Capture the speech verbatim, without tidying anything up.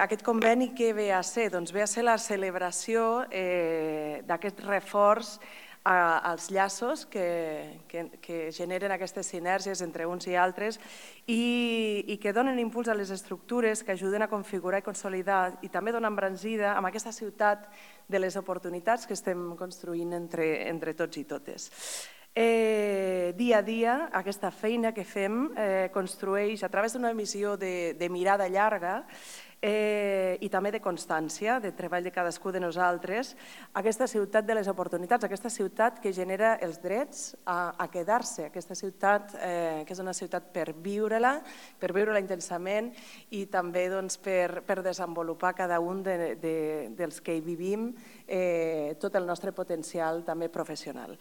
Aquest conveni què ve a ser? Doncs ve a ser la celebració d'aquest reforç als llaços que generen aquestes sinergies entre uns i altres i que donen impuls a les estructures que ajuden a configurar i consolidar i també donen embranzida amb aquesta ciutat de les oportunitats que estem construint entre tots i totes. Dia a dia, aquesta feina que fem construeix a través d'una missió de mirada llarga i també de constància, de treball de cadascú de nosaltres, aquesta ciutat de les oportunitats, aquesta ciutat que genera els drets a quedar-se, aquesta ciutat que és una ciutat per viure-la, per viure-la intensament i també per desenvolupar cada un dels que hi vivim tot el nostre potencial també professional.